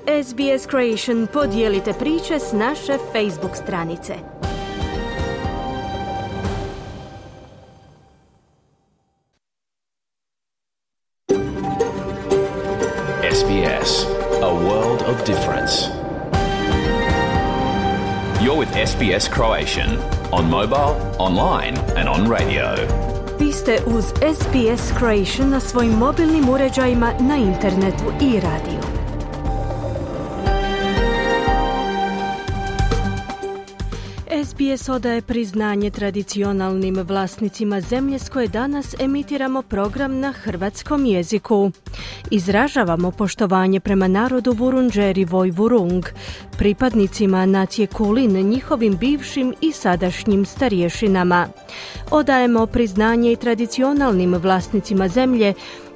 SBS Creation, podijelite priče s naše Facebook stranice. SBS, a world of difference. You're with SBS Croatian, on mobile, online and on radio. Vi ste uz SBS Croatian na svojim mobilnim uređajima, na internetu i radiju. SBS odaje priznanje tradicionalnim vlasnicima zemlje s koje danas emitiramo program na hrvatskom jeziku. Izražavamo poštovanje prema narodu Vurundjeri Vojvurung, pripadnicima nacije Kulin, njihovim bivšim i sadašnjim starješinama. Odajemo priznanje i tradicionalnim vlasnicima zemlje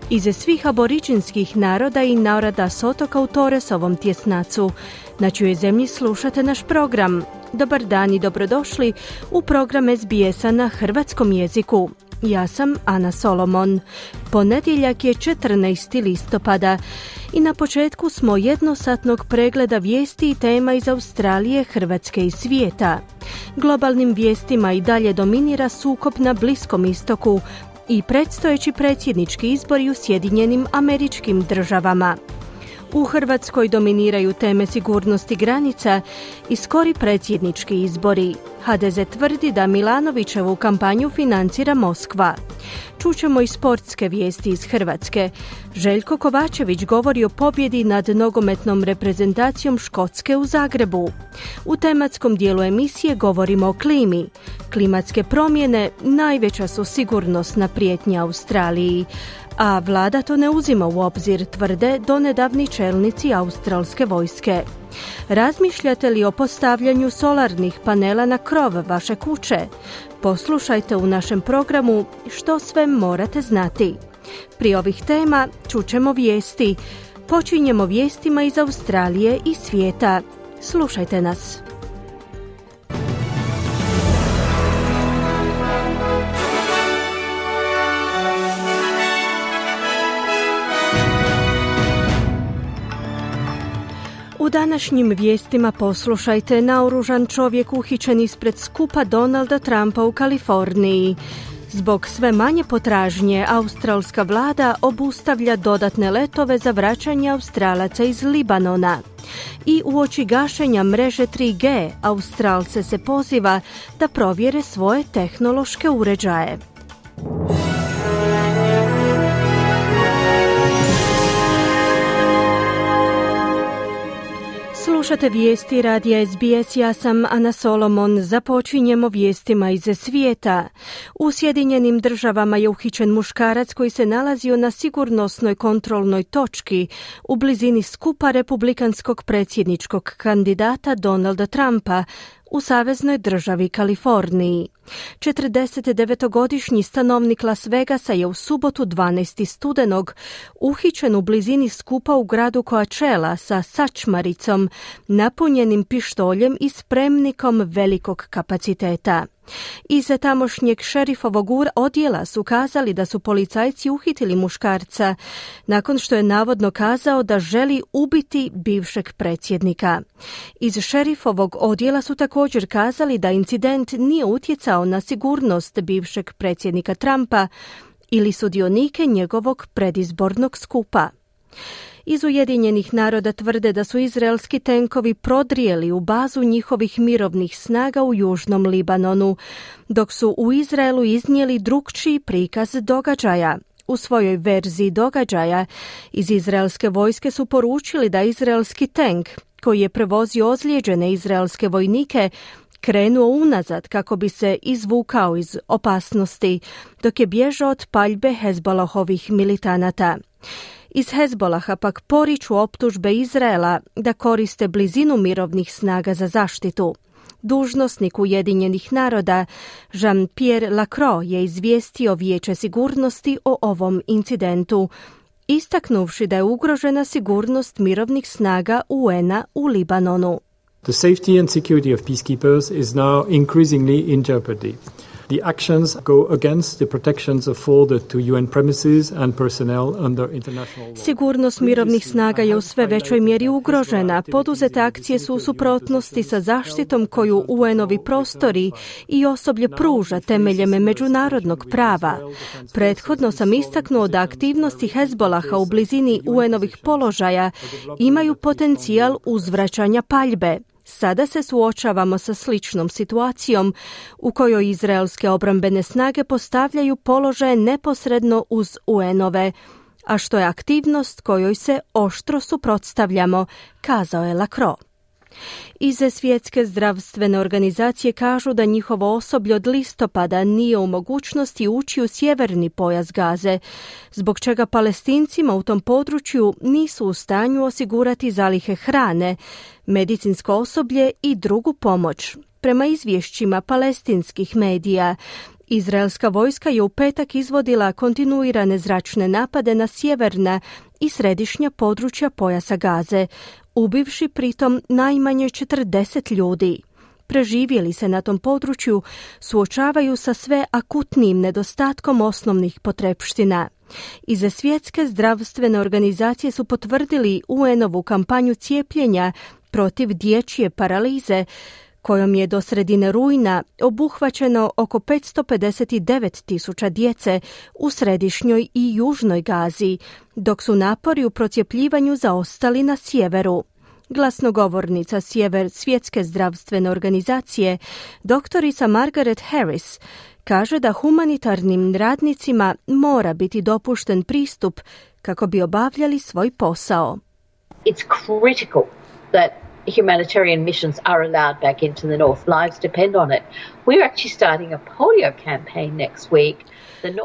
iz svih aboriđinskih naroda i naroda s otoka u Toresovom tjesnacu. Na čijoj zemlji slušate naš program. Dobar dan i dobrodošli u program SBS-a na hrvatskom jeziku. Ja sam Ana Solomon. Ponedjeljak je 14. listopada i na početku smo jednosatnog pregleda vijesti i tema iz Australije, Hrvatske i svijeta. Globalnim vijestima i dalje dominira sukob na Bliskom istoku i predstojeći predsjednički izbori u Sjedinjenim Američkim Državama. U Hrvatskoj dominiraju teme sigurnosti granica i skori predsjednički izbori. HDZ tvrdi da Milanovićevu kampanju financira Moskva. Čućemo i sportske vijesti iz Hrvatske. Željko Kovačević govori o pobjedi nad nogometnom reprezentacijom Škotske u Zagrebu. U tematskom dijelu emisije govorimo o klimi. Klimatske promjene najveća su sigurnosna prijetnja Australiji, a vlada to ne uzima u obzir, tvrde donedavni čelnici australske vojske. Razmišljate li o postavljanju solarnih panela na krov vaše kuće? Poslušajte u našem programu što sve morate znati. Prije ovih tema čućemo vijesti. Počinjemo vijestima iz Australije i svijeta. Slušajte nas. U današnjim vijestima poslušajte: naoružan čovjek uhićen ispred skupa Donalda Trumpa u Kaliforniji. Zbog sve manje potražnje, australska vlada obustavlja dodatne letove za vraćanje Australaca iz Libanona. I uoči gašenja mreže 3G, Australce se poziva da provjere svoje tehnološke uređaje. Slušate vijesti radija SBS, ja sam Ana Solomon. Započinjemo vijestima iz svijeta. U Sjedinjenim Državama je uhićen muškarac koji se nalazio na sigurnosnoj kontrolnoj točki u blizini skupa republikanskog predsjedničkog kandidata Donalda Trumpa u saveznoj državi Kaliforniji. 49-godišnji stanovnik Las Vegasa je u subotu 12. studenog uhićen u blizini skupa u gradu Coachella sa sačmaricom, napunjenim pištoljem i spremnikom velikog kapaciteta. Iz tamošnjeg šerifovog odjela su kazali da su policajci uhitili muškarca nakon što je navodno kazao da želi ubiti bivšeg predsjednika. Iz šerifovog odjela su također kazali da incident nije utjecao na sigurnost bivšeg predsjednika Trumpa ili sudionike njegovog predizbornog skupa. Iz Ujedinjenih naroda tvrde da su izraelski tenkovi prodrijeli u bazu njihovih mirovnih snaga u južnom Libanonu, dok su u Izraelu iznijeli drukčiji prikaz događaja. U svojoj verziji događaja iz izraelske vojske su poručili da izraelski tenk, koji je prevozio ozlijeđene izraelske vojnike, krenuo unazad kako bi se izvukao iz opasnosti, dok je bježao od paljbe Hezbolahovih militanata. Iz Hezbolaha pak poriču optužbe Izraela da koriste blizinu mirovnih snaga za zaštitu. Dužnosnik Ujedinjenih naroda Jean-Pierre Lacroix je izvijestio Vijeće sigurnosti o ovom incidentu, istaknuvši da je ugrožena sigurnost mirovnih snaga UN-a u Libanonu. The safety and security of peacekeepers is now increasingly in jeopardy. The actions go against the protections afforded to UN premises and personnel under international law. Sigurnost mirovnih snaga je u sve većoj mjeri ugrožena. Poduzete akcije su u suprotnosti sa zaštitom koju UN-ovi prostori i osoblje pruža temeljem međunarodnog prava. Prethodno sam istaknuo da aktivnosti Hezbolaha u blizini UN-ovih položaja imaju potencijal uzvraćanja paljbe. Sada se suočavamo sa sličnom situacijom u kojoj izraelske obrambene snage postavljaju položaje neposredno uz UN-ove, a što je aktivnost kojoj se oštro suprotstavljamo, kazao je Lacroix. Iz Svjetske zdravstvene organizacije kažu da njihovo osoblje od listopada nije u mogućnosti ući u sjeverni pojas Gaze, zbog čega Palestincima u tom području nisu u stanju osigurati zalihe hrane, medicinsko osoblje i drugu pomoć. Prema izvješćima palestinskih medija, izraelska vojska je u petak izvodila kontinuirane zračne napade na sjeverna i središnja područja pojasa Gaze, ubivši pritom najmanje 40 ljudi. Preživjeli se na tom području suočavaju sa sve akutnijim nedostatkom osnovnih potrepština. Iz Svjetske zdravstvene organizacije su potvrdili UN-ovu kampanju cijepljenja protiv dječje paralize, kojom je do sredine rujna obuhvaćeno oko 559.000 djece u središnjoj i južnoj Gazi, dok su napori u procijepljivanju zaostali na sjeveru. Glasnogovornica Svjetske zdravstvene organizacije, doktorica Margaret Harris, kaže da humanitarnim radnicima mora biti dopušten pristup kako bi obavljali svoj posao. It's critical that humanitarian missions are allowed back into the north. Lives depend on it. We're actually starting a polio campaign next week.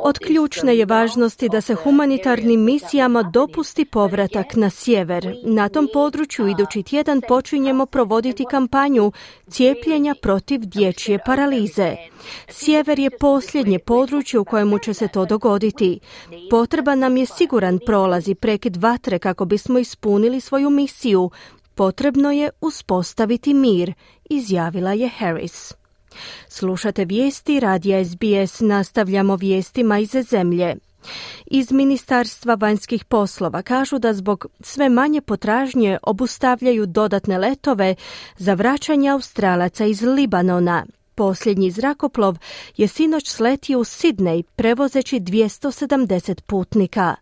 Od ključne je važnosti da se humanitarnim misijama dopusti povratak na sjever. Na tom području idući tjedan počinjemo provoditi kampanju cijepljenja protiv dječje paralize. Sjever je posljednje područje u kojemu će se to dogoditi. Potreban nam je siguran prolaz i prekid vatre kako bismo ispunili svoju misiju. Potrebno je uspostaviti mir, izjavila je Harris. Slušate vijesti radija SBS, nastavljamo vijestima iz zemlje. Iz Ministarstva vanjskih poslova kažu da zbog sve manje potražnje obustavljaju dodatne letove za vraćanje Australaca iz Libanona. Posljednji zrakoplov je sinoć sletio u Sidnej prevozeći 270 putnika.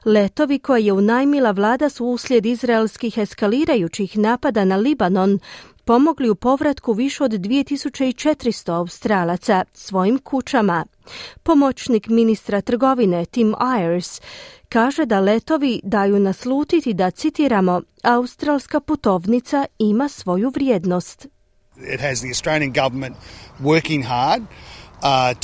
Letovi koje je unajmila vlada su uslijed izraelskih eskalirajućih napada na Libanon pomogli u povratku više od 2400 Australaca svojim kućama. Pomoćnik ministra trgovine Tim Ayers kaže da letovi daju naslutiti da, citiramo, australska putovnica ima svoju vrijednost. It has the Australian government working hard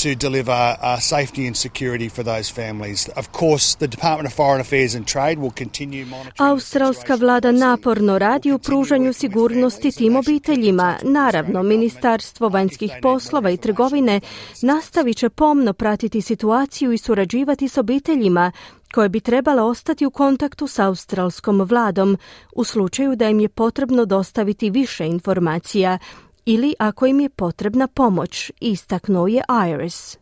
to deliver safety and security for those families. Of course, the Department of Foreign Affairs and Trade will continue monitoring. Australska vlada naporno radi u pružanju sigurnosti tim obiteljima. Naravno, Ministarstvo vanjskih poslova i trgovine nastavit će pomno pratiti situaciju i surađivati s obiteljima koje bi trebale ostati u kontaktu s australskom vladom u slučaju da im je potrebno dostaviti više informacija ili ako im je potrebna pomoć, istaknuo je Ayers.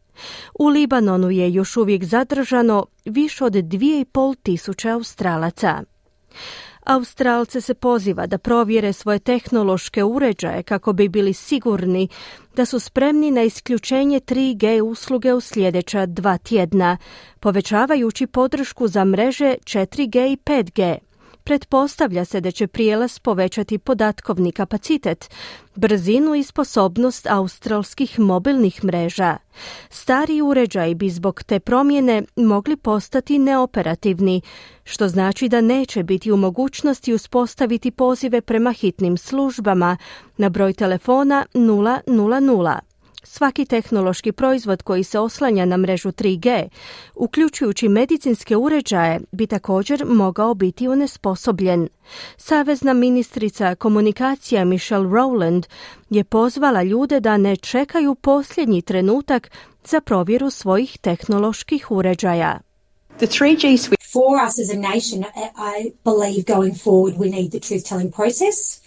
U Libanonu je još uvijek zadržano više od 2.500 Australaca. Australce se poziva da provjere svoje tehnološke uređaje kako bi bili sigurni da su spremni na isključenje 3G usluge u sljedeća 2 tjedna, povećavajući podršku za mreže 4G i 5G. Pretpostavlja se da će prijelaz povećati podatkovni kapacitet, brzinu i sposobnost australskih mobilnih mreža. Stari uređaji bi zbog te promjene mogli postati neoperativni, što znači da neće biti u mogućnosti uspostaviti pozive prema hitnim službama na broj telefona 000. Svaki tehnološki proizvod koji se oslanja na mrežu 3G, uključujući medicinske uređaje, bi također mogao biti onesposobljen. Savezna ministrica komunikacija Michelle Rowland je pozvala ljude da ne čekaju posljednji trenutak za provjeru svojih tehnoloških uređaja. The 3G switch for us as a nation, I believe going forward we need the truth-telling process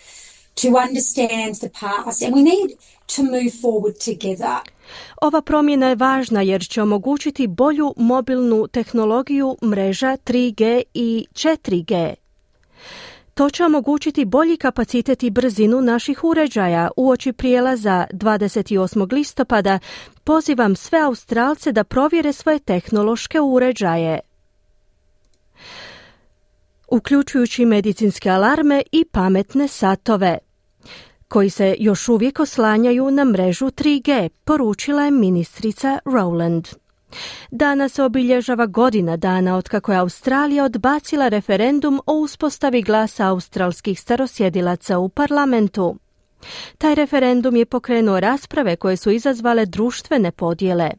to understand the past, and we need to move forward together. Ova promjena je važna jer će omogućiti bolju mobilnu tehnologiju mreža 3G i 4G. To će omogućiti bolji kapacitet i brzinu naših uređaja. Uoči prijelaza 28. listopada pozivam sve Australce da provjere svoje tehnološke uređaje, uključujući medicinske alarme i pametne satove, koji se još uvijek oslanjaju na mrežu 3G, poručila je ministrica Rowland. Danas se obilježava godina dana otkako je Australija odbacila referendum o uspostavi glasa australskih starosjedilaca u parlamentu. Taj referendum je pokrenuo rasprave koje su izazvale društvene podjele.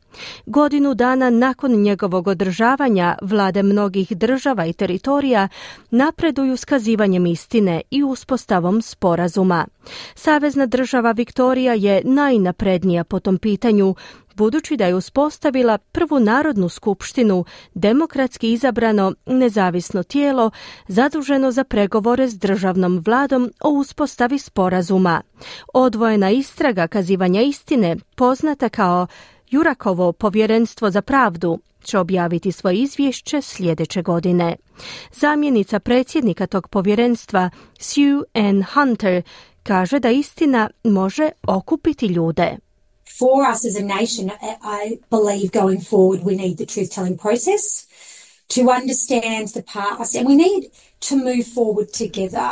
Godinu dana nakon njegovog održavanja, vlade mnogih država i teritorija napreduju skazivanjem istine i uspostavom sporazuma. Savezna država Viktorija je najnaprednija po tom pitanju, budući da je uspostavila prvu narodnu skupštinu, demokratski izabrano nezavisno tijelo zaduženo za pregovore s državnom vladom o uspostavi sporazuma. Odvojena istraga kazivanja istine, poznata kao Jurakovo povjerenstvo za pravdu, će objaviti svoje izvješće sljedeće godine. Zamjenica predsjednika tog povjerenstva, Sue Ann Hunter, kaže da istina može okupiti ljude. For us as a nation, I believe going forward we need the truth-telling process to understand the past, and we need to move forward together.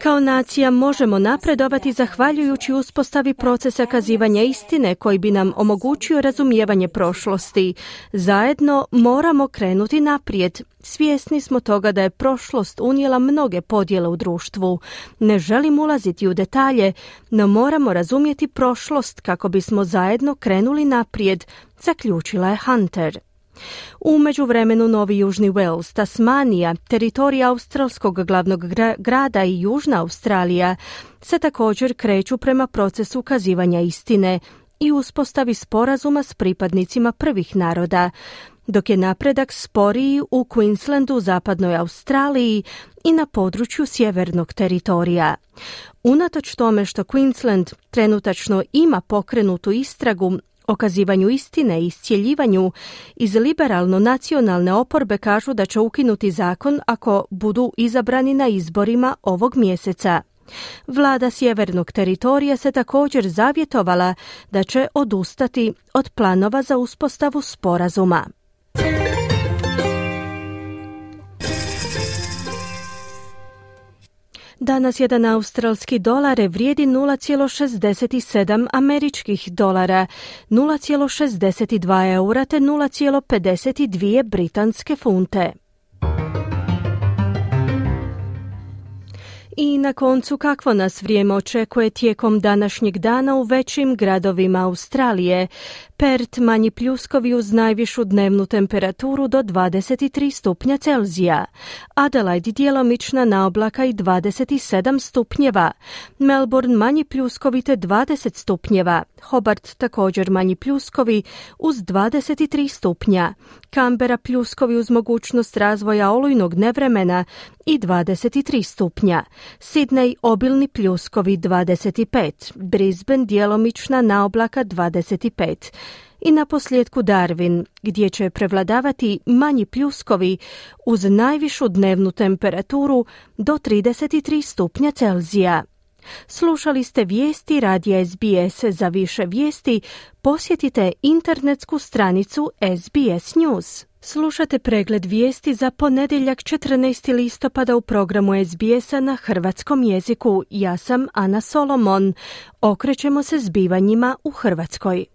Kao nacija možemo napredovati zahvaljujući uspostavi procesa kazivanja istine koji bi nam omogućio razumijevanje prošlosti. Zajedno moramo krenuti naprijed. Svjesni smo toga da je prošlost unijela mnoge podjele u društvu. Ne želim ulaziti u detalje, no moramo razumjeti prošlost kako bismo zajedno krenuli naprijed, zaključila je Hunter. U međuvremenu Novi Južni Wales, Tasmanija, teritorij australskog glavnog grada i Južna Australija se također kreću prema procesu kazivanja istine i uspostavi sporazuma s pripadnicima prvih naroda, dok je napredak sporiji u Queenslandu, zapadnoj Australiji i na području sjevernog teritorija. Unatoč tome što Queensland trenutačno ima pokrenutu istragu o kazivanju istine i iscjeljivanju, iz liberalno-nacionalne oporbe kažu da će ukinuti zakon ako budu izabrani na izborima ovog mjeseca. Vlada sjevernog teritorija se također zavjetovala da će odustati od planova za uspostavu sporazuma. Danas jedan australski dolar vrijedi 0,67 američkih dolara, 0,62 eura te 0,52 britanske funte. I na koncu, kakvo nas vrijeme očekuje tijekom današnjeg dana u većim gradovima Australije? Perth manji pljuskovi uz najvišu dnevnu temperaturu do 23 stupnja Celzija. Adelaide djelomična naoblaka i 27 stupnjeva. Melbourne manji pljuskovi te 20 stupnjeva. Hobart također manji pljuskovi uz 23 stupnja. Canberra pljuskovi uz mogućnost razvoja olujnog nevremena i 23 stupnja. Sydney obilni pljuskovi 25. Brisbane djelomična naoblaka 25. I na posljedku Darwin, gdje će prevladavati manji pljuskovi uz najvišu dnevnu temperaturu do 33 stupnja Celzija. Slušali ste vijesti radija SBS. Za više vijesti posjetite internetsku stranicu SBS News. Slušate pregled vijesti za ponedjeljak 14. listopada u programu SBS-a na hrvatskom jeziku. Ja sam Ana Solomon. Okrećemo se zbivanjima u Hrvatskoj.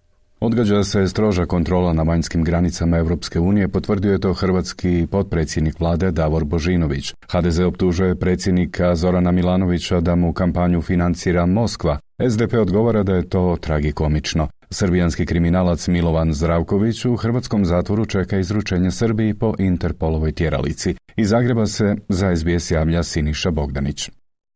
Odgađa se stroža kontrola na vanjskim granicama Europske unije, potvrdio je to hrvatski potpredsjednik vlade Davor Božinović. HDZ optužuje predsjednika Zorana Milanovića da mu kampanju financira Moskva. SDP odgovara da je to tragikomično. Srbijanski kriminalac Milovan Zdravković u hrvatskom zatvoru čeka izručenje Srbiji po Interpolovoj tjeralici. Iz Zagreba se za SBS javlja Siniša Bogdanić.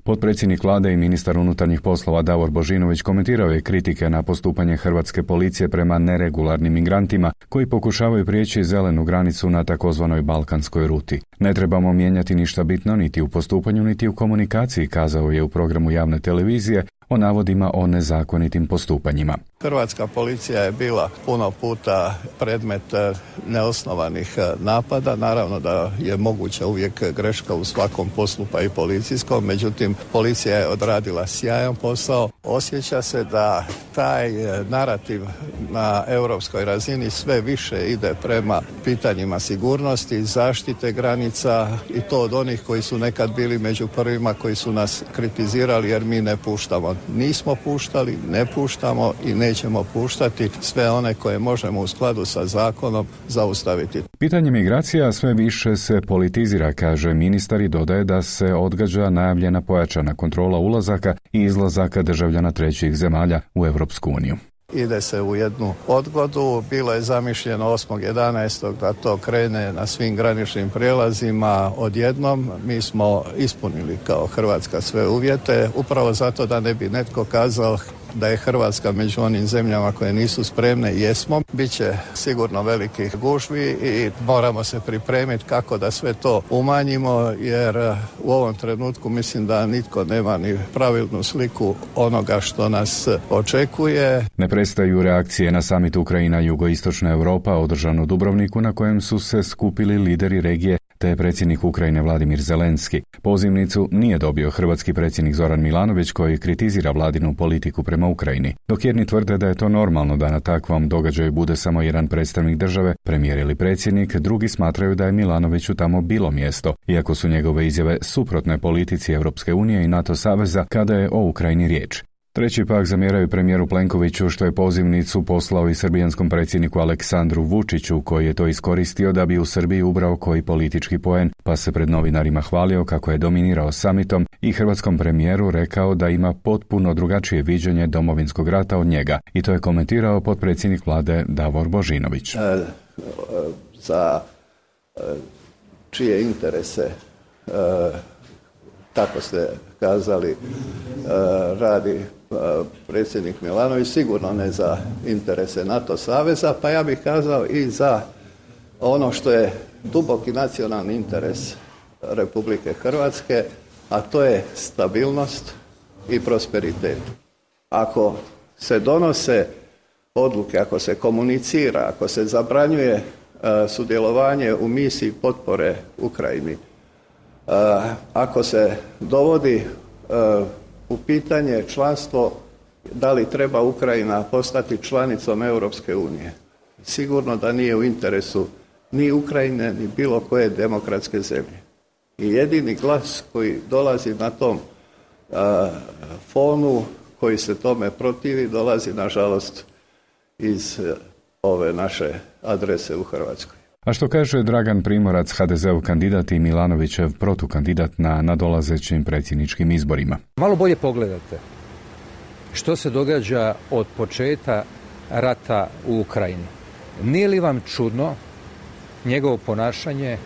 Potpredsjednik vlade i ministar unutarnjih poslova Davor Božinović komentirao je kritike na postupanje hrvatske policije prema neregularnim migrantima koji pokušavaju prijeći zelenu granicu na takozvanoj balkanskoj ruti. Ne trebamo mijenjati ništa bitno niti u postupanju niti u komunikaciji, kazao je u programu javne televizije o navodima o nezakonitim postupanjima. Hrvatska policija je bila puno puta predmet neosnovanih napada. Naravno da je moguća uvijek greška u svakom poslu, pa i policijskom. Međutim, policija je odradila sjajan posao. Osjeća se da taj narativ na europskoj razini sve više ide prema pitanjima sigurnosti, zaštite granica i to od onih koji su nekad bili među prvima koji su nas kritizirali jer mi ne puštamo. Nismo puštali, ne puštamo i nećemo puštati sve one koje možemo u skladu sa zakonom zaustaviti. Pitanje migracija sve više se politizira, kaže ministar i dodaje da se odgađa najavljena pojačana kontrola ulazaka i izlazaka državljana trećih zemalja u Europsku uniju. Ide se u jednu odgodu, bilo je zamišljeno 8.11. da to krene na svim graničnim prijelazima odjednom. Mi smo ispunili kao Hrvatska sve uvjete, upravo zato da ne bi netko kazao da je Hrvatska među onim zemljama koje nisu spremne. Jesmo, bit će sigurno velikih gužvi i moramo se pripremiti kako da sve to umanjimo, jer u ovom trenutku mislim da nitko nema ni pravilnu sliku onoga što nas očekuje. Ne prestaju reakcije na samit Ukrajina jugoistočna Europa održan u Dubrovniku na kojem su se skupili lideri regije te predsjednik Ukrajine Vladimir Zelenski. Pozivnicu nije dobio hrvatski predsjednik Zoran Milanović koji kritizira vladinu politiku prema Ukrajini. Dok jedni tvrde da je to normalno da na takvom događaju bude samo jedan predstavnik države, premijer ili predsjednik, drugi smatraju da je Milanoviću tamo bilo mjesto, iako su njegove izjave suprotne politici Europske unije i NATO saveza kada je o Ukrajini riječ. Treći pak zamjeraju premijeru Plenkoviću što je pozivnicu poslao i srbijanskom predsjedniku Aleksandru Vučiću koji je to iskoristio da bi u Srbiji ubrao koji politički poen, pa se pred novinarima hvalio kako je dominirao samitom i hrvatskom premijeru rekao da ima potpuno drugačije viđenje Domovinskog rata od njega. I to je komentirao potpredsjednik vlade Davor Božinović. Za čije interese, tako ste kazali, radi predsjednik Milanović, sigurno ne za interese NATO saveza, pa ja bih kazao i za ono što je duboki nacionalni interes Republike Hrvatske, a to je stabilnost i prosperitet. Ako se donose odluke, ako se komunicira, ako se zabranjuje sudjelovanje u misiji potpore Ukrajini, ako se dovodi u pitanje članstvo, da li treba Ukrajina postati članicom Europske unije, sigurno da nije u interesu ni Ukrajine, ni bilo koje demokratske zemlje. I jedini glas koji dolazi na tom fonu, koji se tome protivi, dolazi nažalost iz ove naše adrese u Hrvatskoj. A što kaže Dragan Primorac, HDZ-ov kandidat i Milanovićev protukandidat na nadolazećim predsjedničkim izborima? Malo bolje pogledajte što se događa od početka rata u Ukrajini. Nije li vam čudno njegovo ponašanje,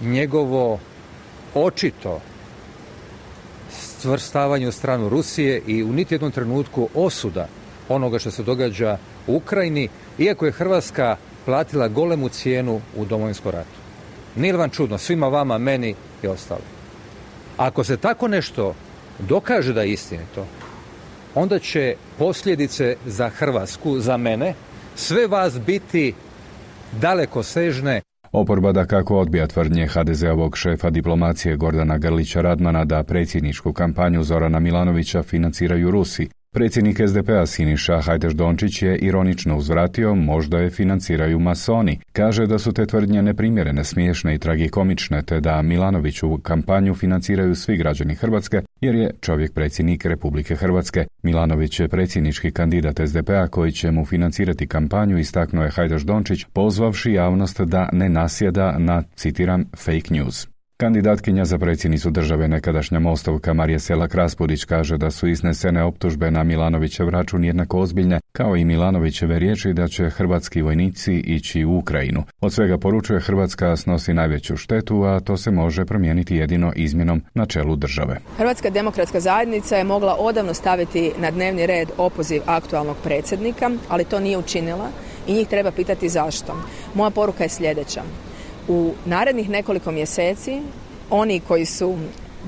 njegovo očito stvrstavanje u stranu Rusije i u niti jednom trenutku osuda onoga što se događa u Ukrajini, iako je Hrvatska platila golemu cijenu u Domovinskom ratu. Nije li vam čudno, svima vama, meni i ostalo? Ako se tako nešto dokaže da je istinito, onda će posljedice za Hrvatsku, za mene, sve vas biti dalekosežne. Oporba dakako odbija tvrdnje HDZ-ovog šefa diplomacije Gordana Grlića Radmana da predsjedničku kampanju Zorana Milanovića financiraju Rusi. Predsjednik SDP-a Siniša Hajdaš-Dončić je ironično uzvratio, možda je financiraju masoni. Kaže da su te tvrdnje neprimjerene, smiješne i tragikomične, te da Milanoviću kampanju financiraju svi građani Hrvatske, jer je čovjek predsjednik Republike Hrvatske. Milanović je predsjednički kandidat SDP-a koji će mu financirati kampanju, istaknuo je Hajdaš-Dončić, pozvavši javnost da ne nasjeda na, citiram, fake news. Kandidatkinja za predsjednicu države, nekadašnja Mostovka Marija Selak-Raspudić, kaže da su iznesene optužbe na Milanovićev račun jednako ozbiljne kao i Milanovićeve riječi da će hrvatski vojnici ići u Ukrajinu. Od svega poručuje Hrvatska snosi najveću štetu, a to se može promijeniti jedino izmjenom na čelu države. Hrvatska demokratska zajednica je mogla odavno staviti na dnevni red opoziv aktualnog predsjednika, ali to nije učinila i njih treba pitati zašto. Moja poruka je sljedeća. U narednih nekoliko mjeseci oni koji su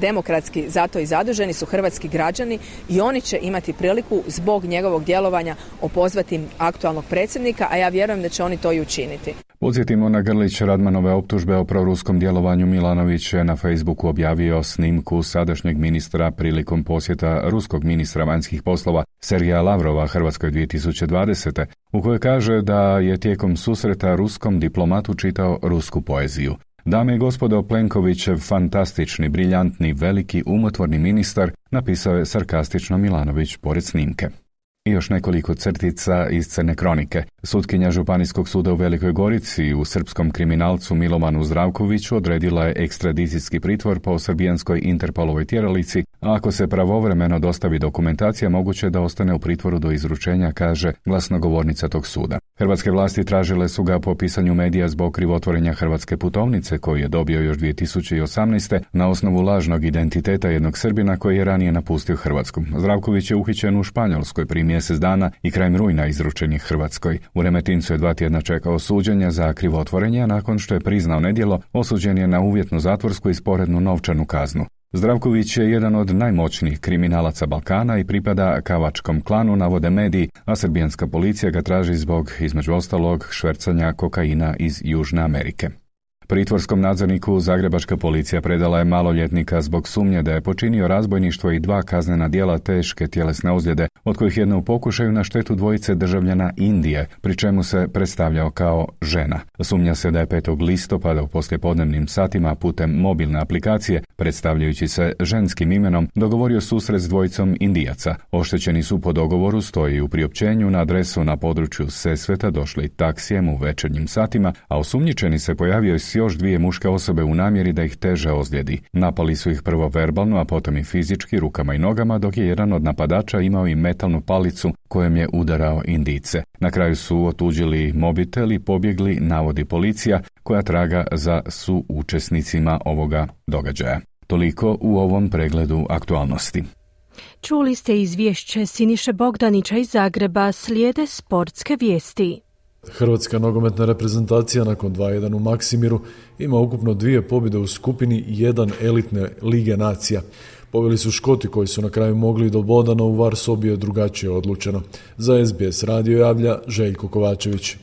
demokratski zato i zaduženi su hrvatski građani i oni će imati priliku zbog njegovog djelovanja opozvati aktualnog predsjednika, a ja vjerujem da će oni to i učiniti. Podsjetimo na Grlić Radmanove optužbe o proruskom djelovanju. Milanović je na Facebooku objavio snimku sadašnjeg ministra prilikom posjeta ruskog ministra vanjskih poslova Sergeja Lavrova Hrvatskoj 2020. u kojoj kaže da je tijekom susreta ruskom diplomatu čitao rusku poeziju. Dame i gospodo, Plenkovićev fantastični, briljantni, veliki, umotvorni ministar, napisao je sarkastično Milanović pored snimke. I još nekoliko crtica iz crne kronike. Sutkinja Županijskog suda u Velikoj Gorici u srpskom kriminalcu Milovanu Zdravkoviću odredila je ekstradicijski pritvor po srbijanskoj Interpolovoj tjeralici, a ako se pravovremeno dostavi dokumentacija, moguće da ostane u pritvoru do izručenja, kaže glasnogovornica tog suda. Hrvatske vlasti tražile su ga po pisanju medija zbog krivotvorenja hrvatske putovnice koju je dobio još 2018. na osnovu lažnog identiteta jednog Srbina koji je ranije napustio Hrvatsku. Zdravković je uhićen u Španjolskoj prije mjesec dana i krajem rujna izručen je Hrvatskoj. U Remetincu je 2 tjedna čekao suđenja za krivotvorenje, a nakon što je priznao nedjelo, osuđen je na uvjetnu zatvorsku i sporednu novčanu kaznu. Zdravković je jedan od najmoćnijih kriminalaca Balkana i pripada Kavačkom klanu, navode mediji, a srbijanska policija ga traži zbog, između ostalog, švercanja kokaina iz Južne Amerike. Pritvorskom nadzorniku zagrebačka policija predala je maloljetnika zbog sumnje da je počinio razbojništvo i 2 kaznena djela teške tjelesne ozljede, od kojih jedna u pokušaju na štetu 2 državljana Indije, pri čemu se predstavljao kao žena. Sumnja se da je 5. listopada u poslijepodnevnim satima putem mobilne aplikacije, predstavljajući se ženskim imenom, dogovorio susret s 2 Indijaca. Oštećeni su po dogovoru, stoji u priopćenju, na adresu na području Sesveta došli taksijem u večernjim satima, a osumnjičeni se pojavio s još 2 muške osobe u namjeri da ih teže ozljedi. Napali su ih prvo verbalno, a potom i fizički rukama i nogama, dok je jedan od napadača imao i metalnu palicu kojom je udarao Indijce. Na kraju su otuđili mobitel i pobjegli, navodi policija, koja traga za suučesnicima ovoga događaja. Toliko u ovom pregledu aktualnosti. Čuli ste izvješće Siniše Bogdanića iz Zagreba, slijede sportske vijesti. Hrvatska nogometna reprezentacija nakon 2-1 u Maksimiru ima ukupno 2 pobjede u skupini i 1 elitne lige nacija. Pobjeli su Škoti koji su na kraju mogli do boda, no u VAR sobi je drugačije odlučeno. Za SBS radio javlja Željko Kovačević.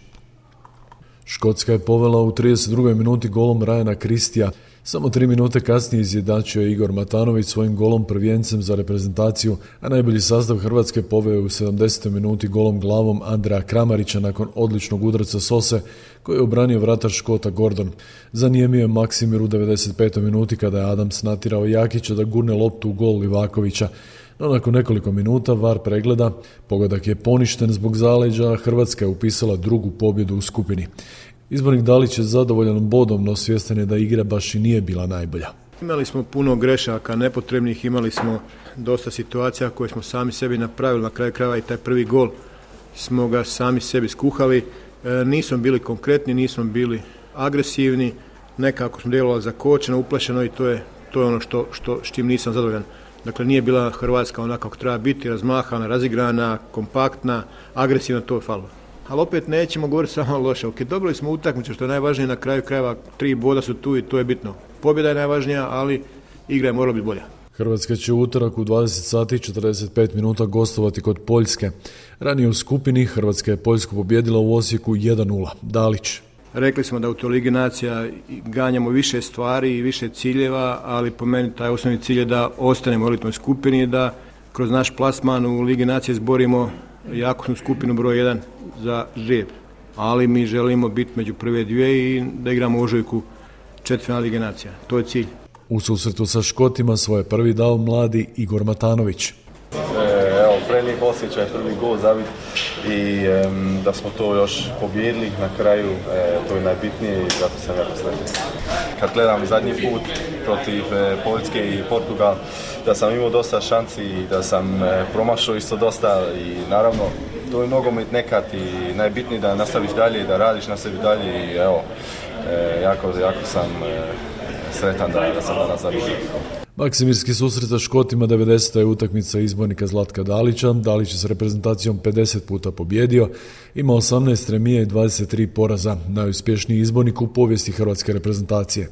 Škotska je povela u 32. minuti golom Ryana Christija. Samo 3 minute kasnije izjednačio je Igor Matanović svojim golom prvijencem za reprezentaciju, a najbolji sastav Hrvatske poveo je u 70. minuti golom glavom Andreja Kramarića nakon odličnog udarca Sose koji je obranio vratar Škota Gordon. Zanijemio je Maksimir u 95. minuti kada je Adams natjerao Jakića da gurne loptu u gol Livakovića. No nakon nekoliko minuta VAR pregleda, pogodak je poništen zbog zaleđa, a Hrvatska je upisala 2. pobjedu u skupini. Izbornik Dalić je zadovoljan bodom, no svjestan je da igra baš i nije bila najbolja. Imali smo puno grešaka nepotrebnih, imali smo dosta situacija koje smo sami sebi napravili, na kraju krajeva i taj prvi gol smo ga sami sebi skuhali. Nismo bili konkretni, nismo bili agresivni, nekako smo djelovali zakočeno, uplašeno i to je ono s čim nisam zadovoljan. Dakle, nije bila Hrvatska onako kako treba biti, razmahana, razigrana, kompaktna, agresivna, to je falilo. Ali opet nećemo govoriti samo loše. Ok, dobili smo utakmicu, što je najvažnije, na kraju krajeva 3 boda su tu i to je bitno. Pobjeda je najvažnija, ali igra je morala biti bolja. Hrvatska će u utorak u 20 sati i 45 minuta gostovati kod Poljske. Ranije u skupini Hrvatska je Poljsku pobjedila u Osijeku 1-0. Dalić. Rekli smo da u toj Ligi nacija ganjamo više stvari i više ciljeva, ali po meni taj osnovni cilj je da ostanemo u elitnoj skupini, da kroz naš plasman u Ligi nacije zborimo jakosnu skupinu broj 1 za žrijeb. Ali mi želimo biti među prve 2 i da igramo u ožujku četvrtfinale Lige nacija. To je cilj. U susretu sa Škotima svoje prvi dao mladi Igor Matanović. Prelijep osjećaj, prvi gol zabit i da smo to još pobijedili na kraju, to je najbitnije i zato sam jako sretan. kad gledam zadnji put protiv Poljske i Portugal, da sam imao dosta šanci i da sam promašao isto dosta i naravno to je nogomet nekad i najbitnije da nastaviš dalje i da radiš na sebi dalje i evo, jako sam sretan da sam danas završio. Maksimirski susret sa Škotima 90. je utakmica izbornika Zlatka Dalića. Dalić je s reprezentacijom 50 puta pobjedio, ima 18 remija i 23 poraza, najuspješniji izbornik u povijesti hrvatske reprezentacije.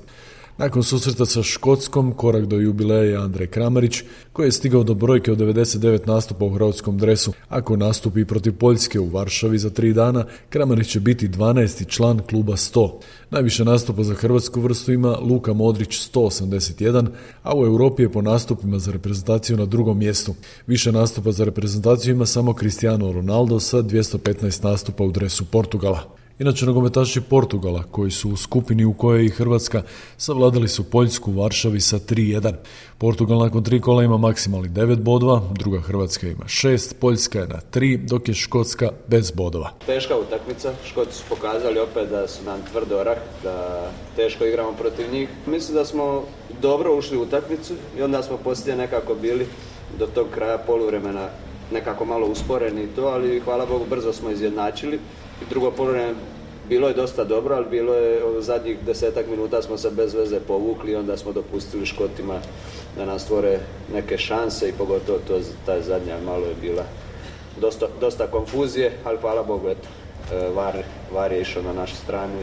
Nakon susreta sa Škotskom, korak do jubileja je Andrej Kramarić, koji je stigao do brojke od 99 nastupa u hrvatskom dresu. Ako nastupi protiv Poljske u Varšavi za 3 dana, Kramarić će biti 12. član kluba 100. Najviše nastupa za hrvatsku vrstu ima Luka Modrić 181, a u Europi je po nastupima za reprezentaciju na drugom mjestu. Više nastupa za reprezentaciju ima samo Cristiano Ronaldo sa 215 nastupa u dresu Portugala. Inače, nogometaši Portugala, koji su u skupini u kojoj je i Hrvatska, savladali su Poljsku u Varšavi sa 3-1. Portugal nakon 3 kola ima maksimalnih 9 bodova, druga Hrvatska ima 6, Poljska je na 3, dok je Škotska bez bodova. Teška utakmica, Škoti su pokazali opet da su nam tvrd orah, da teško igramo protiv njih. Mislim da smo dobro ušli u utakmicu i onda smo poslije nekako bili do tog kraja poluvremena nekako malo usporeni to, ali hvala Bogu brzo smo izjednačili. I drugo poluvreme bilo je dosta dobro, ali bilo je zadnjih 10 minuta smo se bez veze povukli i onda smo dopustili Škotima da nas stvore neke šanse i pogotovo ta zadnja malo je bila dosta konfuzije, ali hvala Bogu, eto, VAR je išao na našu stranu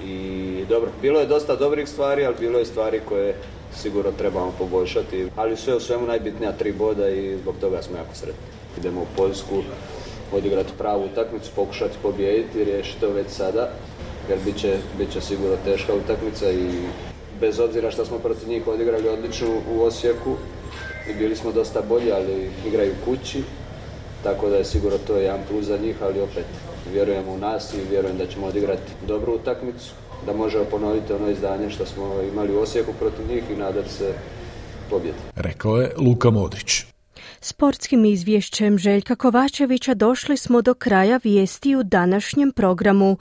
i dobro, bilo je dosta dobrih stvari, ali bilo je stvari koje sigurno trebamo poboljšati, ali sve u svemu najbitnija 3 boda i zbog toga smo jako sretni. Idemo u Poljsku, odigrati pravu utakmicu, pokušati pobijediti, riješiti to već sada, jer bit će sigurno teška utakmica i bez obzira što smo protiv njih odigrali odlično u Osijeku i bili smo dosta bolji, ali igraju kući, tako da je sigurno to jedan plus za njih, ali opet vjerujemo u nas i vjerujem da ćemo odigrati dobru utakmicu, da možemo ponoviti ono izdanje što smo imali u Osijeku protiv njih i nadati se pobjedi. Rekao je Luka Modrić. Sportskim izvješćem Željka Kovačevića došli smo do kraja vijesti u današnjem programu.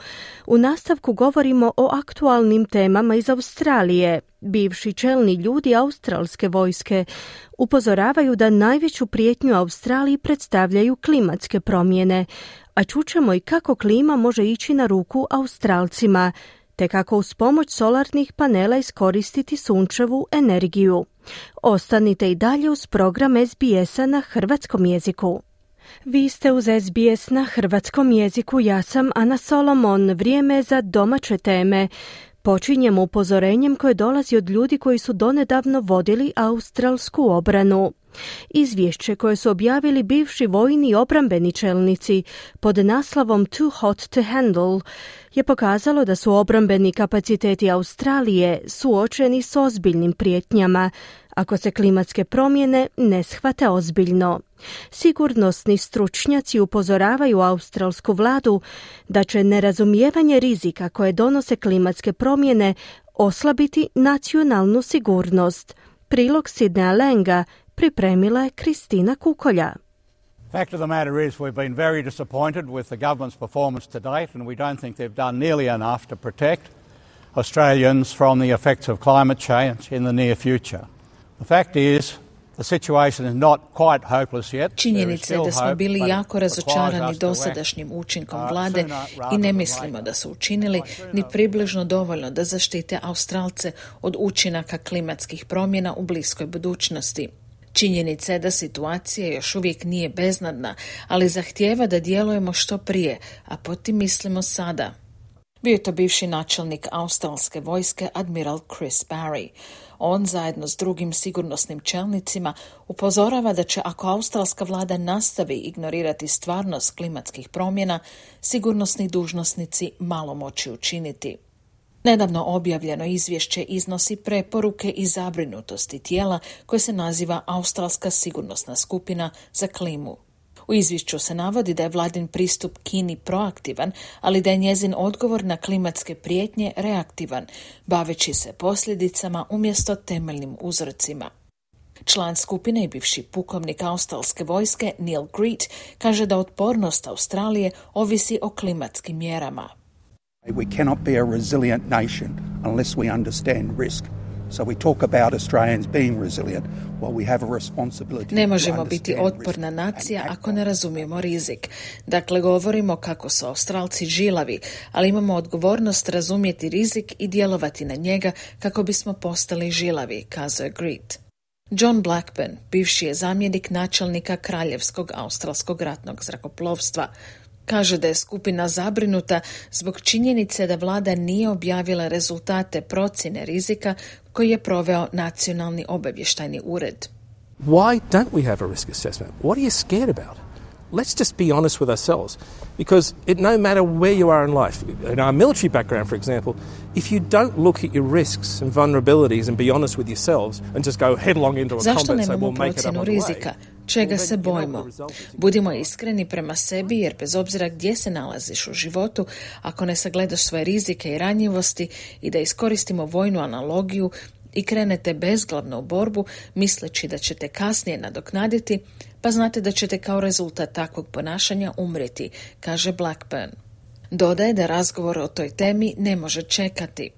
U nastavku govorimo o aktualnim temama iz Australije. Bivši čelni ljudi australske vojske upozoravaju da najveću prijetnju Australiji predstavljaju klimatske promjene, a čućemo i kako klima može ići na ruku Australcima, te kako uz pomoć solarnih panela iskoristiti sunčevu energiju. Ostanite i dalje uz program SBS-a na hrvatskom jeziku. Vi ste uz SBS na hrvatskom jeziku, ja sam Ana Solomon. Vrijeme za domaće teme. Počinjemo upozorenjem koje dolazi od ljudi koji su donedavno vodili australsku obranu. Izvješće koje su objavili bivši vojni i obrambeni čelnici pod naslovom Too Hot to Handle je pokazalo da su obrambeni kapaciteti Australije suočeni s ozbiljnim prijetnjama ako se klimatske promjene ne shvate ozbiljno. Sigurnosni stručnjaci upozoravaju australsku vladu da će nerazumijevanje rizika koje donose klimatske promjene oslabiti nacionalnu sigurnost. Prilog Sidneya Lenga pripremila je Kristina Kukolja. Fact of the matter is we've been very disappointed with the government's performance to date and we don't think they've done nearly enough to protect Australians from the effects of climate change in the near future. The fact is the situation is not quite hopeless yet. Činjenica je da smo bili jako razočarani dosadašnjim učinkom vlade i ne mislimo da su učinili ni približno dovoljno da zaštite Australce od učinaka klimatskih promjena u bliskoj budućnosti. Činjenica je da situacija još uvijek nije beznadna, ali zahtijeva da djelujemo što prije, a pod tim mislimo sada. Bio je to bivši načelnik australske vojske admiral Chris Barry. On zajedno s drugim sigurnosnim čelnicima upozorava da će ako australska vlada nastavi ignorirati stvarnost klimatskih promjena, sigurnosni dužnosnici malo moći učiniti. Nedavno objavljeno izvješće iznosi preporuke i zabrinutosti tijela koje se naziva Australska sigurnosna skupina za klimu. U izvješću se navodi da je vladin pristup Kini proaktivan, ali da je njezin odgovor na klimatske prijetnje reaktivan, baveći se posljedicama umjesto temeljnim uzrocima. Član skupine i bivši pukovnik australske vojske Neil Greet kaže da otpornost Australije ovisi o klimatskim mjerama. We cannot be a resilient nation unless we understand risk. So we talk about Australians being resilient while we have a responsibility. Ne možemo biti otporna nacija ako ne razumijemo rizik. Dakle, govorimo kako su Australci žilavi, ali imamo odgovornost razumjeti rizik i djelovati na njega kako bismo postali žilavi, kazuje Greet. John Blackburn, bivši je zamjenik načelnika Kraljevskog australskog ratnog zrakoplovstva. Kaže da je skupina zabrinuta zbog činjenice da vlada nije objavila rezultate procjene rizika koji je proveo Nacionalni obavještajni ured. Why don't we have a risk assessment? What are you scared about? Let's just be honest with ourselves. Because no matter where you are in life, in our military background, for example, if you don't look at your risks and vulnerabilities and be honest with yourselves and just go headlong into a combat and say we'll make it up on the way. Čega se bojimo? Budimo iskreni prema sebi jer bez obzira gdje se nalaziš u životu, ako ne sagledaš svoje rizike i ranjivosti i da iskoristimo vojnu analogiju i krenete bezglavno u borbu misleći da ćete kasnije nadoknaditi, pa znate da ćete kao rezultat takvog ponašanja umrijeti, kaže Blackburn. Dodaje da razgovor o toj temi ne može čekati.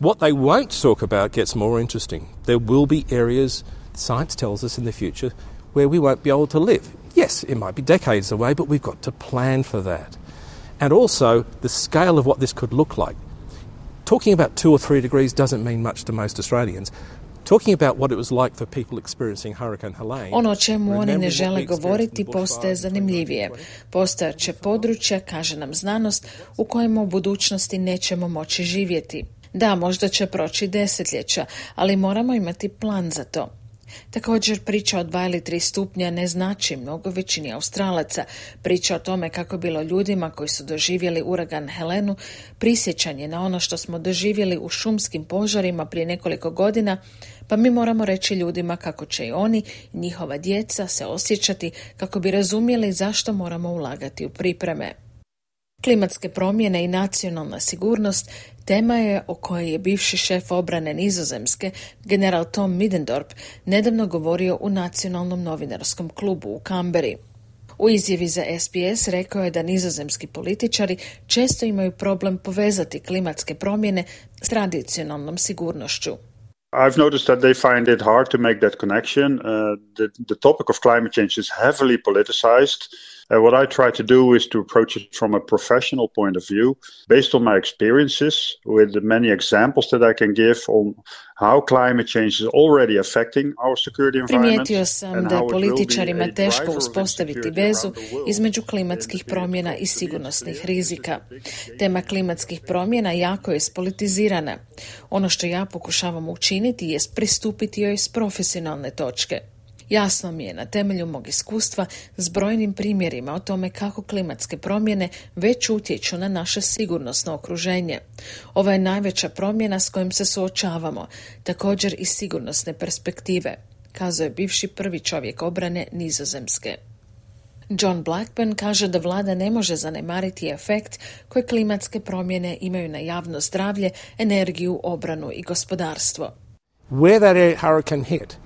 What they won't talk about gets more interesting. There will be areas, science tells us in the future, where we won't be able to live. Yes, it might be decades away, but we've got to plan for that. And also, the scale of what this could look like. Talking about 2 or 3 degrees doesn't mean much to most Australians. Talking about what it was like for people experiencing Hurricane Helene. Ono o čemu oni ne žele govoriti postaje zanimljivije. Postojaće područja, kaže nam znanost, u kojima u budućnosti nećemo moći živjeti. Da, možda će proći desetljeća, ali moramo imati plan za to. Također priča od 2 ili 3 stupnja ne znači mnogo većini Australaca. Priča o tome kako je bilo ljudima koji su doživjeli uragan Helenu, prisjećanje na ono što smo doživjeli u šumskim požarima prije nekoliko godina, pa mi moramo reći ljudima kako će i oni i njihova djeca se osjećati kako bi razumjeli zašto moramo ulagati u pripreme. Klimatske promjene i nacionalna sigurnost tema je o kojoj je bivši šef obrane Nizozemske, general Tom Middendorp, nedavno govorio u Nacionalnom novinarskom klubu u Kamberi. U izjavi za SBS rekao je da nizozemski političari često imaju problem povezati klimatske promjene s tradicionalnom sigurnošću. I've noticed that they find it hard to make that connection. The topic of climate change is heavily politicized. What I try to do is to approach it from a professional point of view, based on my experiences, with the many examples that I can give on how climate change is already affecting our security environment. Primijetio sam da je političarima teško uspostaviti vezu između klimatskih promjena i sigurnosnih rizika. Tema klimatskih promjena jako je spolitizirana. Ono što ja pokušavam učiniti je pristupiti joj s profesionalne točke. Jasno mi je na temelju mog iskustva s brojnim primjerima o tome kako klimatske promjene već utječu na naše sigurnosno okruženje. Ovo je najveća promjena s kojim se suočavamo, također iz sigurnosne perspektive, kazuje bivši prvi čovjek obrane Nizozemske. John Blackburn kaže da vlada ne može zanemariti efekt koje klimatske promjene imaju na javno zdravlje, energiju, obranu i gospodarstvo. Where that hurricane hit,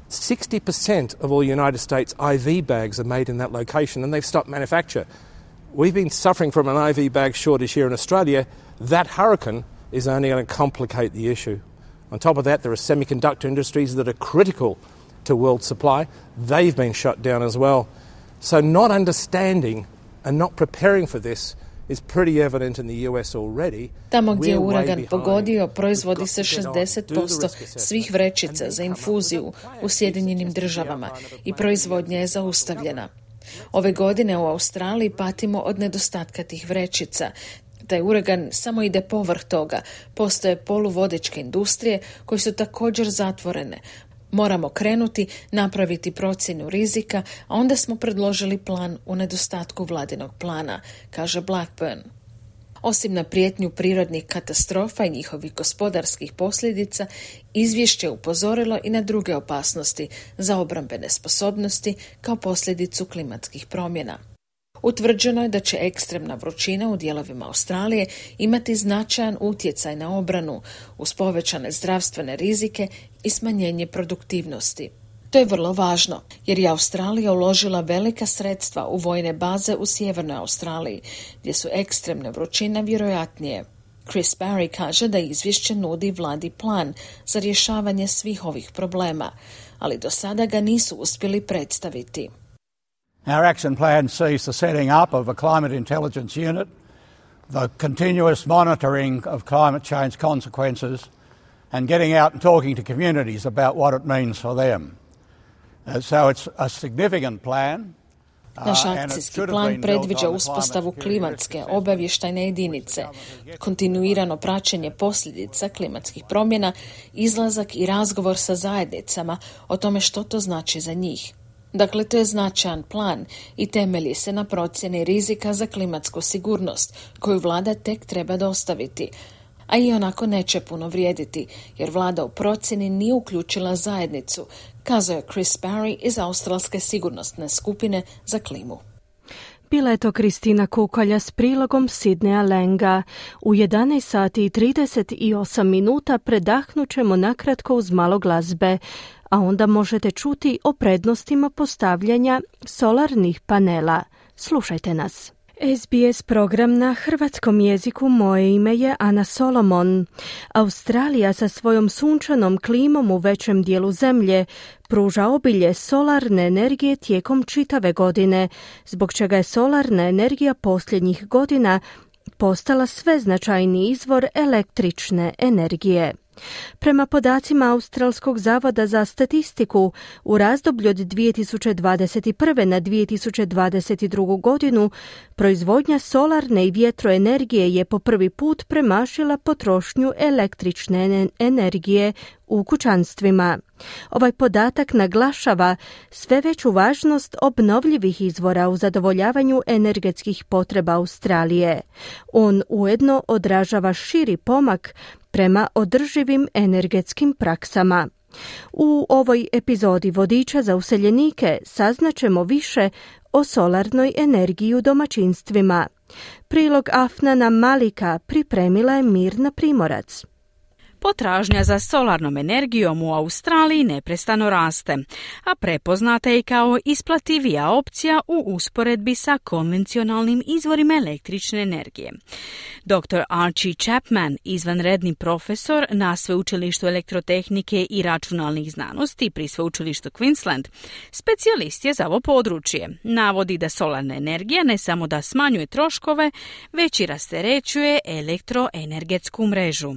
60% of all United States IV bags are made in that location and they've stopped manufacture. We've been suffering from an IV bag shortage here in Australia. That hurricane is only going to complicate the issue. On top of that, there are semiconductor industries that are critical to world supply. They've been shut down as well. So not understanding and not preparing for this is pretty evident in the US already. Tamo gdje je uragan pogodio, proizvodi se 60% svih vrećica za infuziju u Sjedinjenim Državama i proizvodnja je zaustavljena. Ove godine u Australiji patimo od nedostatka tih vrećica. Taj uragan samo ide povrh toga. Postoje poluvodičke industrije koje su također zatvorene. Moramo krenuti, napraviti procjenu rizika, a onda smo predložili plan u nedostatku vladinog plana, kaže Blackburn. Osim na prijetnju prirodnih katastrofa i njihovih gospodarskih posljedica, izvješće upozorilo i na druge opasnosti za obrambene sposobnosti kao posljedicu klimatskih promjena. Utvrđeno je da će ekstremna vrućina u dijelovima Australije imati značajan utjecaj na obranu uz povećane zdravstvene rizike i smanjenje produktivnosti. To je vrlo važno, jer je Australija uložila velika sredstva u vojne baze u sjevernoj Australiji, gdje su ekstremne vrućine vjerojatnije. Chris Barry kaže da izvješće nudi vladi plan za rješavanje svih ovih problema, ali do sada ga nisu uspjeli predstaviti. Our action plan sees the setting up of a climate intelligence unit, the continuous monitoring of climate change consequences, and getting out and talking to communities about what it means for them. So it's a significant plan. Naš akcijski plan predviđa uspostavu klimatske obavještajne jedinice, kontinuirano praćenje posljedica klimatskih promjena, izlazak i razgovor sa zajednicama o tome što to znači za njih. Dakle, to je značajan plan i temelji se na procjeni rizika za klimatsku sigurnost, koju vlada tek treba dostaviti, a i onako neće puno vrijediti, jer vlada u procjeni nije uključila zajednicu, kazao je Chris Barry iz Australske sigurnosne skupine za klimu. Bila je to Kristina Kukolja s prilogom Sidneya Lenga. U 11 sati i 38 minuta predahnut ćemo nakratko uz malo glazbe, a onda možete čuti o prednostima postavljanja solarnih panela. Slušajte nas. SBS program na hrvatskom jeziku. Moje ime je Ana Solomon. Australija sa svojom sunčanom klimom u većem dijelu zemlje pruža obilje solarne energije tijekom čitave godine, zbog čega je solarna energija posljednjih godina postala sve značajniji izvor električne energije. Prema podacima Australskog zavoda za statistiku, u razdoblju od 2021. na 2022. godinu proizvodnja solarne i vjetroenergije je po prvi put premašila potrošnju električne energije u kućanstvima. Ovaj podatak naglašava sve veću važnost obnovljivih izvora u zadovoljavanju energetskih potreba Australije. On ujedno odražava širi pomak prema održivim energetskim praksama. U ovoj epizodi Vodiča za useljenike saznaćemo više o solarnoj energiji u domaćinstvima. Prilog Afnana Malika pripremila je Mirna Primorac. Potražnja za solarnom energijom u Australiji neprestano raste, a prepoznata je kao isplativija opcija u usporedbi sa konvencionalnim izvorima električne energije. Dr. Archie Chapman, izvanredni profesor na Sveučilištu elektrotehnike i računalnih znanosti pri Sveučilištu Queensland, specijalist je za ovo područje. Navodi da solarna energija ne samo da smanjuje troškove, već i rasterećuje elektroenergetsku mrežu.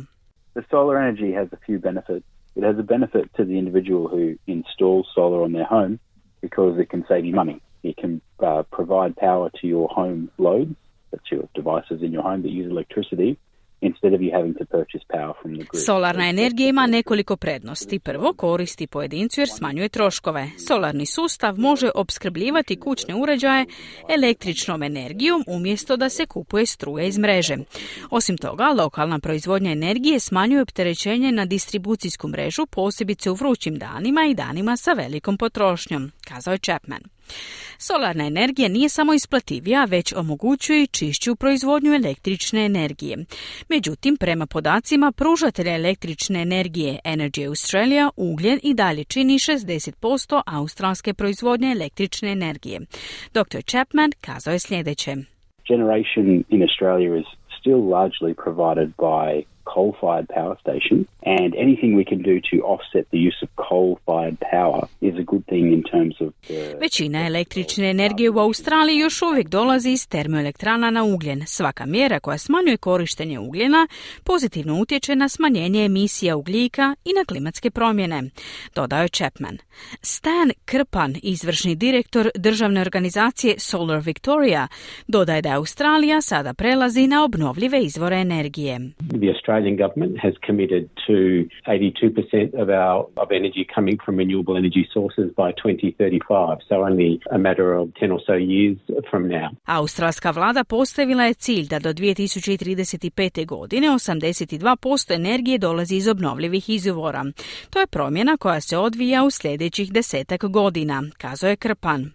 The solar energy has a few benefits. It has a benefit to the individual who installs solar on their home because it can save you money. It can provide power to your home loads, that's your devices in your home that use electricity, instead of you having to purchase power from the grid. Solarna energija ima nekoliko prednosti. Prvo, koristi pojedincu jer smanjuje troškove. Solarni sustav može opskrbljivati kućne uređaje električnom energijom umjesto da se kupuje struje iz mreže. Osim toga, lokalna proizvodnja energije smanjuje opterećenje na distribucijsku mrežu, posebice u vrućim danima i danima sa velikom potrošnjom, kazao je Chapman. Solarna energija nije samo isplativija, već omogućuje i čišću proizvodnju električne energije. Međutim, prema podacima pružatelja električne energije Energy Australia, ugljen i dalje čini 60% australske proizvodnje električne energije. Dr. Chapman kazao je sljedeće. Generation in Australia is still largely provided by coal-fired power stations, and anything we can do to offset the use of coal-fired power is a good thing in terms of the... Većina električne energije u Australiji još uvijek dolazi iz termoelektrana na ugljen. Svaka mjera koja smanjuje korištenje ugljena pozitivno utječe na smanjenje emisija ugljika i na klimatske promjene, dodao je Chapman. Stan Krpan, izvršni direktor državne organizacije Solar Victoria, dodaje da Australija sada prelazi na obnovljive izvore energije. The Australian government has committed to 82% of energy coming from renewable energy sources by 2035, so only a matter of 10 or so years from now. Australska vlada postavila je cilj da do 2035. godine 82% energije dolazi iz obnovljivih izvora. To je promjena koja se odvija u sljedećih 10 godina, kazao je Krpan.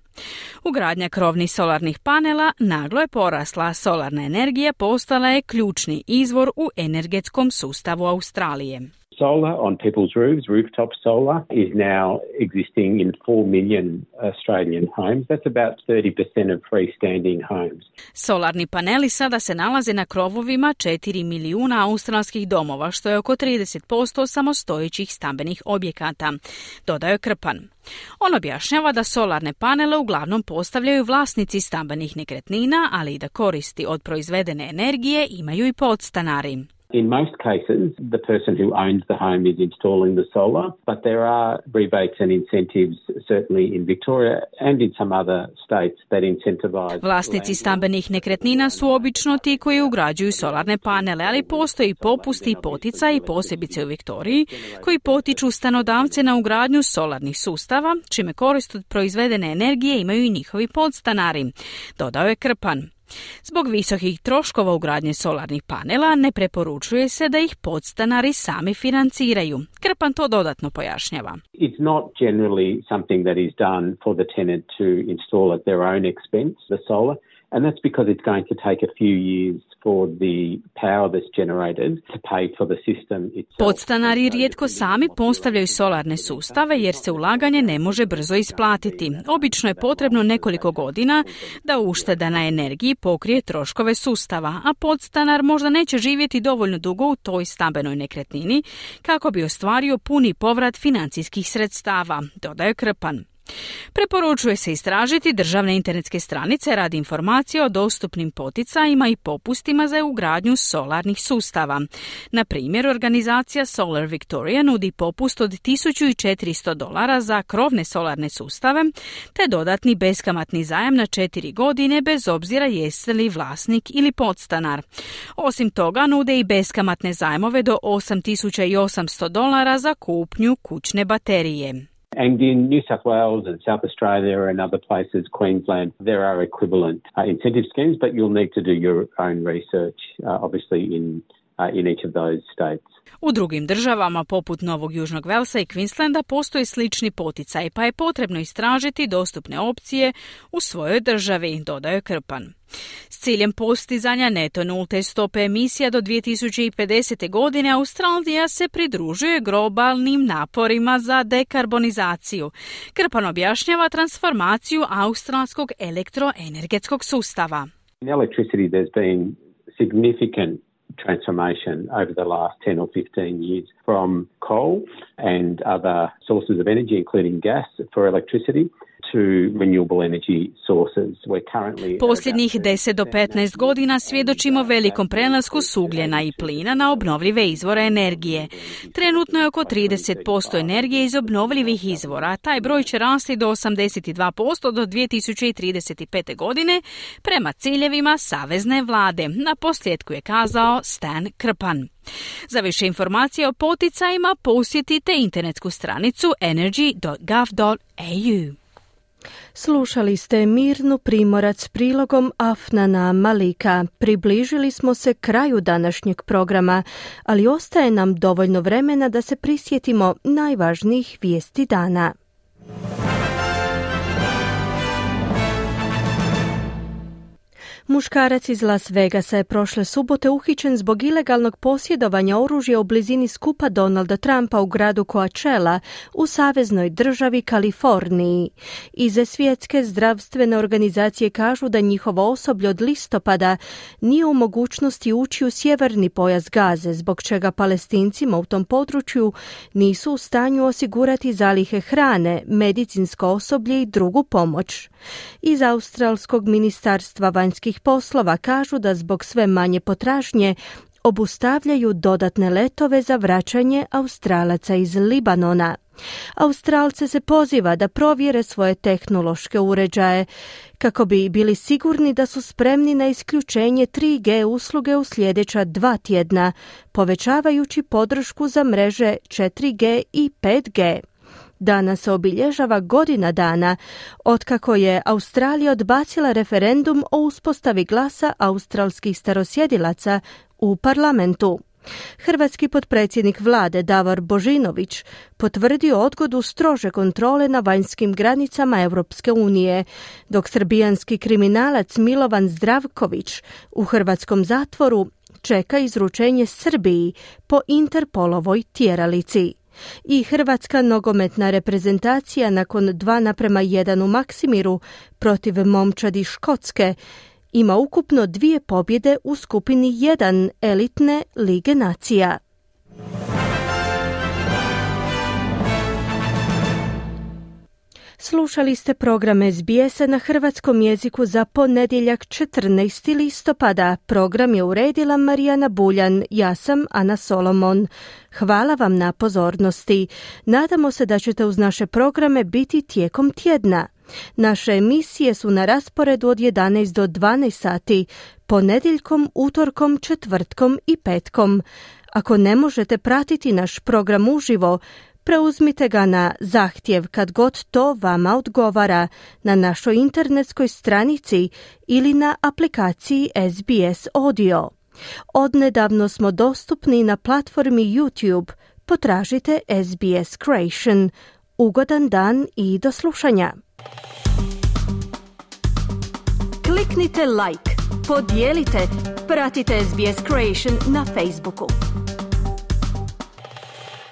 Ugradnja krovnih solarnih panela naglo je porasla, a solarna energija postala je ključni izvor u energetskom sustavu Australije. Solar on people's roofs, rooftop solar, is now existing in 4 million Australian homes. That's about 30% of freestanding homes. Solarni paneli sada se nalaze na krovovima 4 milijuna australskih domova, što je oko 30% samostojećih stambenih objekata, dodao je Krpan. On objašnjava da solarne panele uglavnom postavljaju vlasnici stambenih nekretnina, ali i da koristi od proizvedene energije imaju i podstanari. In most cases, the person who owns the home is installing the solar, but there are rebates and incentives, certainly in Victoria and in some other states, that incentivize. Vlasnici stambenih nekretnina su obično ti koji ugrađuju solarne panele, ali postoji popusti i poticaji, posebice u Viktoriji, koji potiču stanodavce na ugradnju solarnih sustava, čime korist od proizvedene energije imaju i njihovi podstanari, dodao je Krpan. Zbog visokih troškova ugradnje solarnih panela ne preporučuje se da ih podstanari sami financiraju. Krpan to dodatno pojašnjava. It's not generally something that is done for the tenant to install at their own expense, the solar, and that's because it's going to take a few years for the power that's generated to pay for the system itself. Podstanari rijetko sami postavljaju solarne sustave jer se ulaganje ne može brzo isplatiti. Obično je potrebno nekoliko godina da ušteda na energiji pokrije troškove sustava, a podstanar možda neće živjeti dovoljno dugo u toj stambenoj nekretnini kako bi ostvario puni povrat financijskih sredstava, dodaje Krpan. Preporučuje se istražiti državne internetske stranice radi informacije o dostupnim poticajima i popustima za ugradnju solarnih sustava. Na primjer, organizacija Solar Victoria nudi popust od $1.400 za krovne solarne sustave, te dodatni beskamatni zajam na 4 godine bez obzira jeste li vlasnik ili podstanar. Osim toga, nude i beskamatne zajmove do $8.800 za kupnju kućne baterije. And in New South Wales and South Australia and other places, Queensland, there are equivalent incentive schemes, but you'll need to do your own research, obviously, in each of those states. U drugim državama, poput Novog Južnog Velsa i Queenslanda, postoje slični poticaj, pa je potrebno istražiti dostupne opcije u svojoj državi, dodaje Krpan. S ciljem postizanja neto nulte stope emisija do 2050. godine Australija se pridružuje globalnim naporima za dekarbonizaciju. Krpan objašnjava transformaciju australskog elektroenergetskog sustava. In electricity there's been significant transformation over the last 10 or 15 years from coal and other sources of energy, including gas, for electricity to renewable energy sources. We're currently Posljednjih 10 do 15 godina svjedočimo velikom prelasku s ugljena i plina na obnovljive izvore energije. Trenutno je oko 30% energije iz obnovljivih izvora. Taj broj će rasti do 82% do 2035. godine prema ciljevima savezne vlade. Na posljedku je kazao Stan Krpan. Za više informacije o poticajima posjetite internetsku stranicu energy.gov.au. Slušali ste Mirnu Primorac prilogom Afnana Malika. Približili smo se kraju današnjeg programa, ali ostaje nam dovoljno vremena da se prisjetimo najvažnijih vijesti dana. Muškarac iz Las Vegasa je prošle subote uhićen zbog ilegalnog posjedovanja oružja u blizini skupa Donalda Trumpa u gradu Coachella u saveznoj državi Kaliforniji. Iz Svjetske zdravstvene organizacije kažu da njihovo osoblje od listopada nije u mogućnosti ući u sjeverni pojas Gaze, zbog čega Palestincima u tom području nisu u stanju osigurati zalihe hrane, medicinsko osoblje i drugu pomoć. Iz Australskog ministarstva vanjskih poslova kažu da zbog sve manje potražnje obustavljaju dodatne letove za vraćanje Australaca iz Libanona. Australce se poziva da provjere svoje tehnološke uređaje kako bi bili sigurni da su spremni na isključenje 3G usluge u sljedeća 2 tjedna, povećavajući podršku za mreže 4G i 5G. Danas se obilježava godina dana otkako je Australija odbacila referendum o uspostavi glasa australskih starosjedilaca u parlamentu. Hrvatski potpredsjednik vlade Davor Božinović potvrdio odgodu strože kontrole na vanjskim granicama Europske unije, dok srbijanski kriminalac Milovan Zdravković u hrvatskom zatvoru čeka izručenje Srbiji po Interpolovoj tjeralici. I hrvatska nogometna reprezentacija nakon 2:1 u Maksimiru protiv momčadi Škotske ima ukupno 2 pobjede u skupini 1 elitne Lige nacija. Slušali ste program SBS-a na hrvatskom jeziku za ponedjeljak 14. listopada. Program je uredila Marijana Buljan, ja sam Ana Solomon. Hvala vam na pozornosti. Nadamo se da ćete uz naše programe biti tijekom tjedna. Naše emisije su na rasporedu od 11 do 12 sati, ponedjeljkom, utorkom, četvrtkom i petkom. Ako ne možete pratiti naš program uživo, preuzmite ga na zahtjev kad god to vama odgovara na našoj internetskoj stranici ili na aplikaciji SBS Audio. Odnedavno smo dostupni na platformi YouTube. Potražite SBS Creation. Ugodan dan i do slušanja. Kliknite like, podijelite, pratite SBS Creation na Facebooku.